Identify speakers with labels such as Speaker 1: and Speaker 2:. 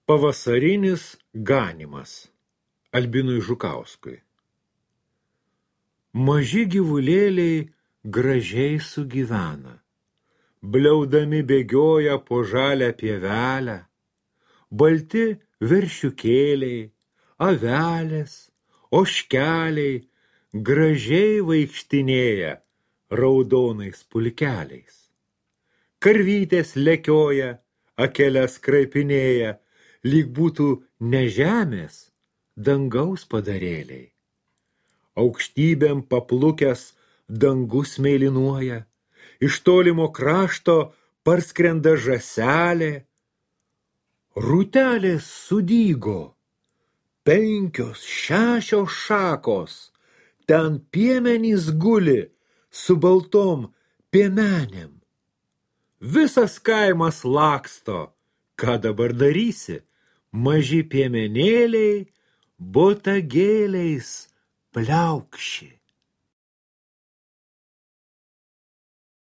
Speaker 1: Pavasarinis ganymas Albinui Žukauskui. Maži gyvulėliai gražiai sugyvena, bliaudami bėgioja po žalę pievelę, balti veršiukėliai, avelės, ožkeliai gražiai vaikštinėja raudonais pulkeliais. Karvytės lekioja, akeles kraipinėja, lyg būtų ne žemės, dangaus padarėliai. Aukštybėm paplukęs dangus mėlynuoja, iš tolimo krašto parskrenda žąselė. Rūtelės sudygo, 5-6 šakos, ten piemenys guli su baltom piemenėm. Visas kaimas laksto, ką dabar darysi, maži piemenėliai botagėliais pliaukši.